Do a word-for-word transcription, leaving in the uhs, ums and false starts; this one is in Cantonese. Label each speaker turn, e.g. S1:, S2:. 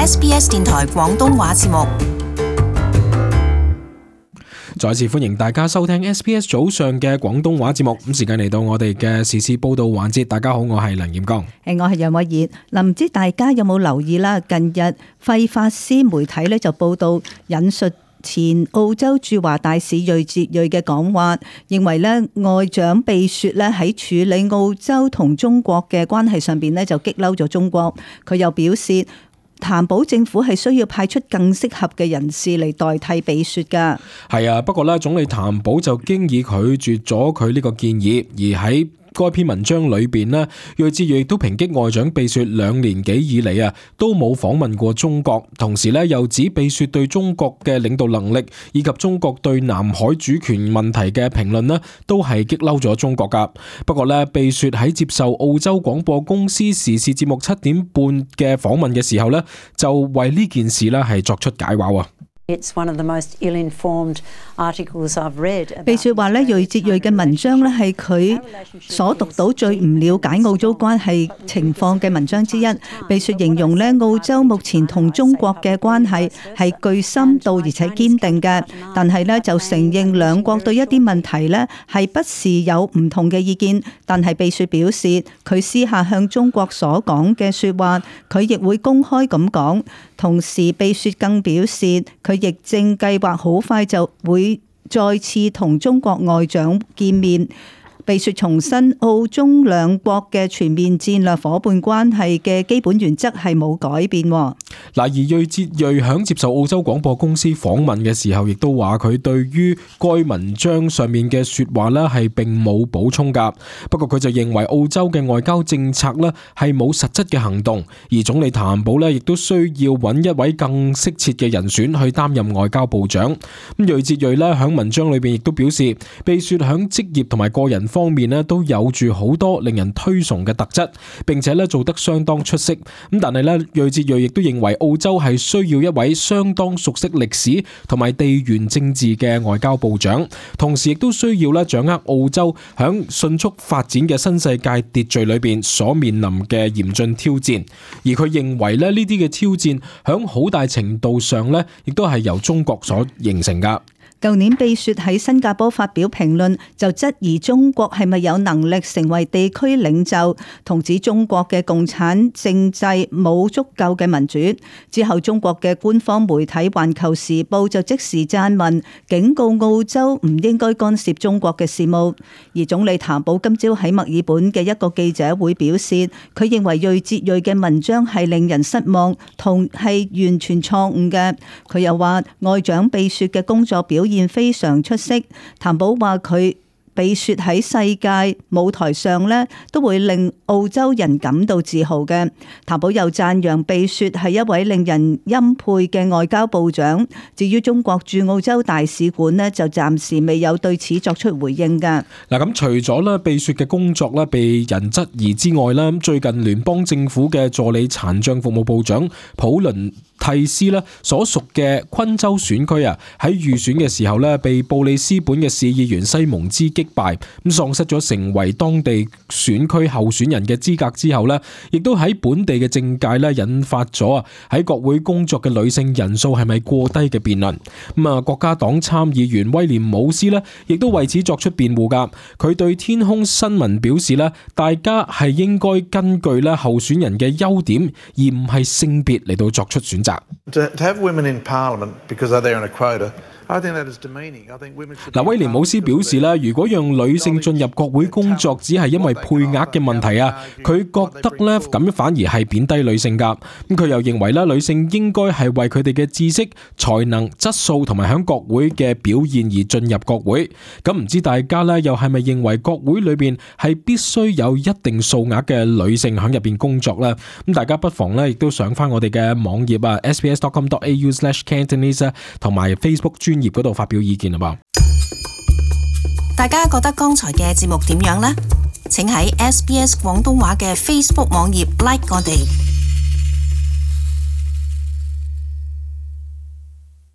S1: S B S 電台廣東話節目。
S2: 再次歡迎大家收聽 S B S 早上嘅廣東話節目。咁時間嚟到我哋嘅時事報道環節。大家好，我係梁彥剛。
S3: 誒，我係楊偉儀。嗱，唔知大家有冇留意啦？近日費法斯媒體咧就報道引述前澳洲駐華大使瑞哲瑞嘅講話，認為咧外長貝雪咧喺處理澳洲同中國嘅關係上邊咧就激嬲咗中國。佢又表示，譚寶政府係需要派出更適合嘅人士嚟代替貝雪㗎。
S2: 係啊，不過咧總理譚寶就經已拒絕咗佢呢個建議，而喺該篇文章裏邊呢，瑞哲瑞亦都抨擊外長貝雪兩年幾以嚟啊，都冇訪問過中國，同時咧又指貝雪對中國嘅領導能力以及中國對南海主權問題嘅評論呢，都係激嬲咗中國噶。不過咧，貝雪喺接受澳洲廣播公司時事節目七點半嘅訪問嘅時候呢，就為呢件事呢係作出解話啊。
S4: It's one of the most ill-informed articles I've read.
S3: 貝雪話咧，瑞哲瑞嘅文章咧係佢所讀到最唔了解澳洲關係情況嘅文章之一。貝雪形容咧，澳洲目前同中國嘅關係係具深度而且堅定嘅，但係咧就承認兩國對一啲問題咧係不時有唔同嘅意見。但係貝雪表示，佢私下向中國所講嘅說話，佢亦會公開咁講。同時，貝雪更表示，佢亦正計劃好快就會再次同中國外長見面。貝雪重申澳中兩國嘅全面戰略夥伴關係嘅基本原則係冇改變。嗱，
S2: 而瑞哲瑞響接受澳洲廣播公司訪問嘅時候，亦都話佢對於該文章上面嘅說話呢係並冇補充噶。不過佢就認為澳洲嘅外交政策呢係冇實質嘅行動，而總理譚寶呢亦都需要揾一位更適切嘅人選去擔任外交部長。咁瑞哲瑞呢響文章裏邊亦都表示，貝雪響職業同埋個人方面咧都有住好多令人推崇嘅特質，並且咧做得相當出色。咁但係咧，瑞哲瑞亦都認為澳洲係需要一位相當熟悉歷史同埋地緣政治嘅外交部長，同時亦都需要咧掌握澳洲響迅速發展嘅新世界秩序裏邊所面臨嘅嚴峻挑戰。而佢認為咧呢啲嘅挑戰響好大程度上咧，亦都係由中國所形成噶。
S3: 舊年貝雪喺新加坡發表評論，就質疑中國係咪有能力成為地區領袖，同指中國嘅共產政制冇足夠嘅民主。之後中國嘅官方媒體《環球時報》就即時撰文，警告澳洲唔應該干涉中國嘅事務。而總理譚寶今朝喺墨爾本嘅一個記者會表示，佢認為瑞哲瑞嘅文章係令人失望，同係完全錯誤嘅。佢又話外長貝雪嘅工作表現非常出色。譚寶話佢貝雪喺世界舞台上咧，都會令澳洲人感到自豪嘅。譚寶又讚揚貝雪係一位令人欽佩嘅外交部長。至於中國駐澳洲大使館咧，就暫時未有對此作出回應㗎。
S2: 嗱，咁除咗咧貝雪嘅工作咧被人質疑之外啦，最近聯邦政府嘅助理殘障服務部長普倫蒂斯咧所屬嘅昆州選區啊，喺預選嘅時候咧被布里斯本嘅市議員西蒙茲擊敗，咁喪失咗成為當地選區候選人嘅資格之後咧，亦都喺本地嘅政界咧引發咗啊喺國會工作嘅女性人數係咪過低嘅辯論。咁啊，國家黨參議員威廉姆斯咧亦都為此作出辯護噶。佢對天空新聞表示咧，大家係應該根據咧候選人嘅優點，而唔係性別嚟到作出選擇。
S5: To have women in Parliament because they're in a quota, I think that is demeaning. I think women should.
S2: 嗱，威廉姆斯表示咧，如果讓女性進入國會工作只係因為配額嘅問題啊，佢覺得咧咁反而係貶低女性噶。咁佢又認為咧，女性應該係為佢哋嘅知識、才能、質素同埋響國會嘅表現而進入國會。咁唔知大家咧又係咪認為國會裏邊係必須有一定數額嘅女性響入邊工作咧？咁大家不妨咧亦都上翻我哋嘅網頁啊 s b s dot com dot a u slash cantonese 同埋 Facebook 專頁嗰度發表意見啊噃。
S1: 大家覺得剛才嘅節目點樣呢？請喺 S B S 廣東話嘅 Facebook 網頁 like 我哋。